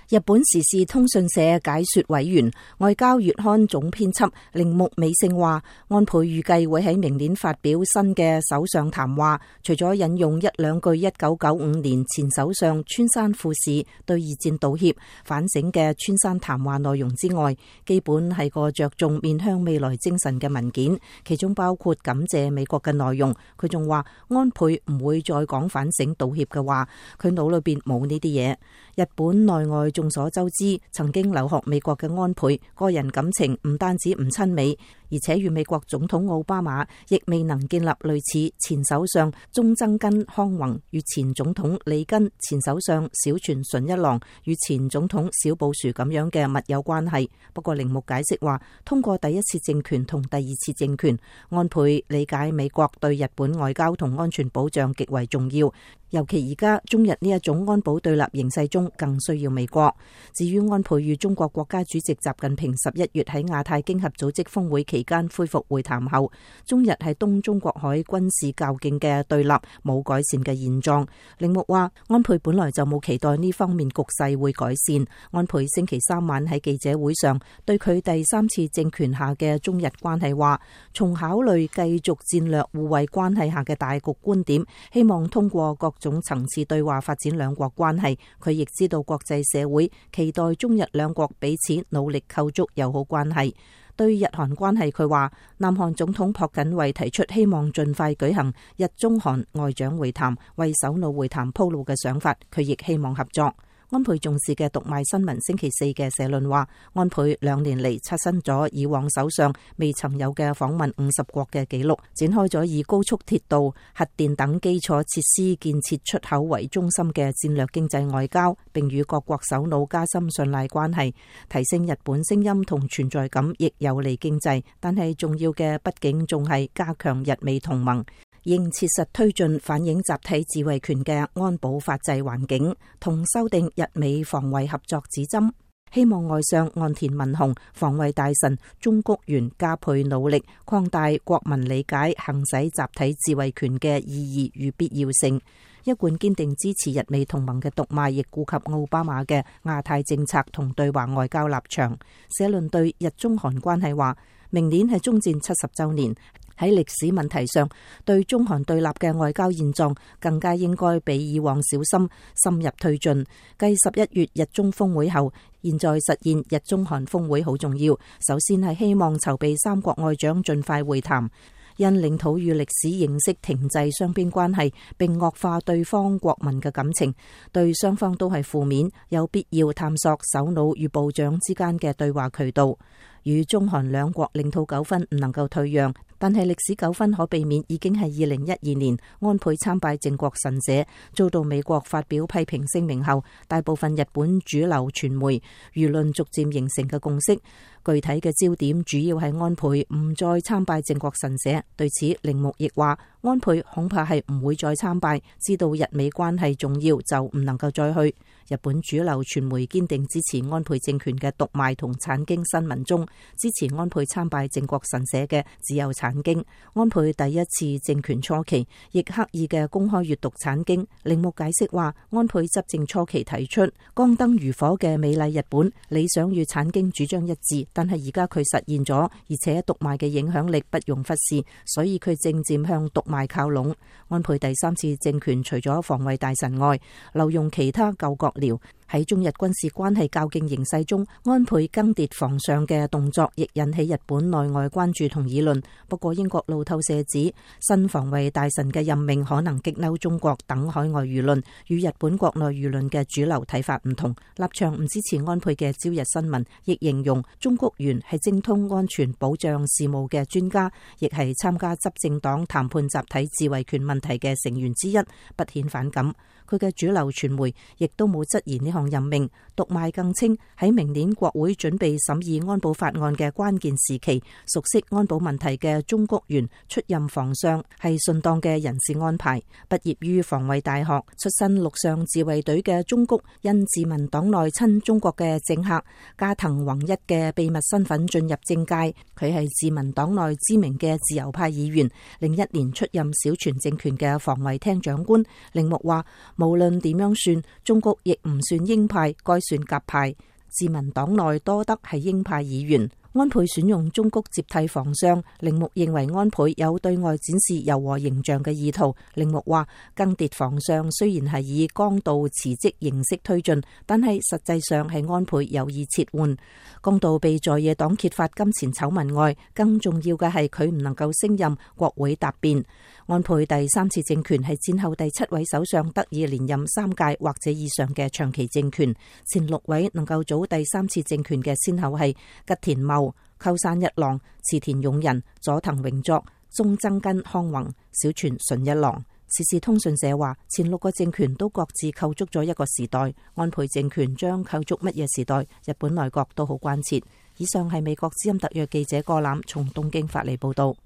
日本時事通訊社解說委員、外交月刊總編輯鈴木美聖話，安倍預計會喺明年發表新嘅首相談話，除咗引用一兩句1995年前首相村山富市對二戰道歉反省嘅村山談話內容之外，基本係個着重面向未來精神嘅文件，其中包括感謝美國嘅內容。佢仲話安倍唔會再講反省道歉嘅話，佢腦裏邊冇呢啲嘢。日本內外眾所周知，曾經留學美國嘅安倍，個人感情唔單止唔親美，而且與美國總統奧巴馬亦未能建立類似前首相中曾根康弘與前總統里根、前首相小泉純一郎與前總統小布殊咁樣嘅密友關係。不過鈴木解釋話，通過第一次政權同第二次政權，安倍理解美國對日本外交同安全保障極為重要，尤其而家中日呢一種安保對立形勢中更需要美國。至於安倍與中國國家主席習近平11月喺亞太經合組織峰會期間恢復會談後，中日喺東中國海軍事較勁嘅對立冇改善嘅現狀。鈴木話，安倍本來就冇期待呢方面局勢會改善。安倍星期三晚喺記者會上對佢第三次政權下嘅中日關係話，從考慮繼續戰略互惠關係下嘅大局觀點，希望通過各種層次對話發展兩國關係。佢亦知道國際社會期待中日兩國彼此努力構築友好關係。對日韓關係，佢話南韓總統朴槿惠提出希望盡快舉行日中韓外長會談，為首腦會談鋪路嘅想法，佢亦希望合作。安倍重視嘅讀賣新聞星期四嘅社論話，安倍2年嚟刷新咗以往首相未曾有嘅訪問50國嘅紀錄，展開咗以高速鐵道、核電等基礎設施建設出口為中心嘅戰略經濟外交，並與各國首腦加深信賴關係，提升日本聲音同存在感，亦有利經濟。但係重要嘅畢竟仲係加強日美同盟，應切實推進反映集體自衛權嘅安保法制環境，同修訂日美防衛合作指針。希望外相岸田文雄、防衛大臣中谷元加倍努力，擴大國民理解行使集體自衛權嘅意義與必要性。一貫堅定支持日美同盟嘅讀賣，亦顧及奧巴馬嘅亞太政策同對華外交立場。社論對日中韓關係話，明年係中戰70週年。喺歷史問題上，對中韓對立嘅外交現狀更加應該比以往小心深入推進。繼11月日中峰會後，現在實現日中韓峰會好重要。首先係希望籌備三國外長盡快會談，因領土與歷史認識停滯雙邊關係，並惡化對方國民嘅感情，對雙方都係負面，有必要探索首腦與部長之間嘅對話渠道。與中韓兩國領土糾紛唔能夠退讓，但係歷史糾紛可避免，已經係2012年安倍參拜靖國神社遭到美國發表批評聲明後，大部分日本主流傳媒輿論逐漸形成嘅共識。具體嘅焦點主要係安倍唔再參拜靖國神社。對此，鈴木亦話安倍恐怕係唔會再參拜，知道日美關係重要就唔能夠再去。日本主流傳媒堅定支持安倍政權嘅讀賣同產經新聞中，支持安倍參拜靖國神社嘅只有產經。安倍第一次政權初期亦刻意嘅公開閱讀產經。鈴木解釋話，安倍執政初期提出光燈如火嘅美麗日本理想與產經主張一致，但係而家佢實現咗，而且讀賣嘅影響力不容忽視，所以佢正漸向讀賣靠攏。安倍第三次政權除咗防衛大臣外，留用其他舊閣僚。喺中日軍事關係較勁形勢中，安倍更迭防相嘅動作亦引起日本內外關注同議論。不過英國路透社指，新防衛大臣嘅任命可能激嬲中國等海外輿論，與日本國內輿論嘅主流睇法唔同。立場唔支持安倍嘅朝日新聞亦形容中谷元係精通安全保障事務嘅專家，亦係參加執政黨談判集體自衛權問題嘅成員之一，不顯反感。佢嘅主流傳媒亦都冇質疑呢項任命。讀賣更稱，喺明年國會準備審議安保法案嘅關鍵時期，熟悉安保問題嘅中谷元出任防相係順當嘅人事安排。畢業於防衛大學、出身陸上自衛隊嘅中谷，因自民黨內親中國嘅政客加藤宏一嘅秘密身份進入政界。佢係自民黨內知名嘅自由派議員，01年出任小泉政權嘅防衛廳長官。鈴木話，無論點樣算，中國亦唔算鷹派，該算鴿派。自民黨內多得係鷹派議員。安倍選用中谷接替防相，鈴木認為安倍有對外展示柔和形象嘅意圖。鈴木話，更迭防相雖然係以江道辭職形式推進，但係實際上係安倍有意撤換。江道被在野黨揭發金錢醜聞外，更重要嘅係佢唔能夠升任國會答辯。安倍第三次政權係戰後第7位首相得以連任3屆或者以上嘅長期政權。前6位能夠組第三次政權嘅先後係吉田茂、鳩山一郎、池田勇人、佐藤榮作、中曾根康弘、小泉純一郎。時事通訊社話，前6個政權都各自構築咗一個時代，安倍政權將構築乜嘢時代？日本內閣都好關切。以上係美國之音特約記者郭欖從東京發嚟報道。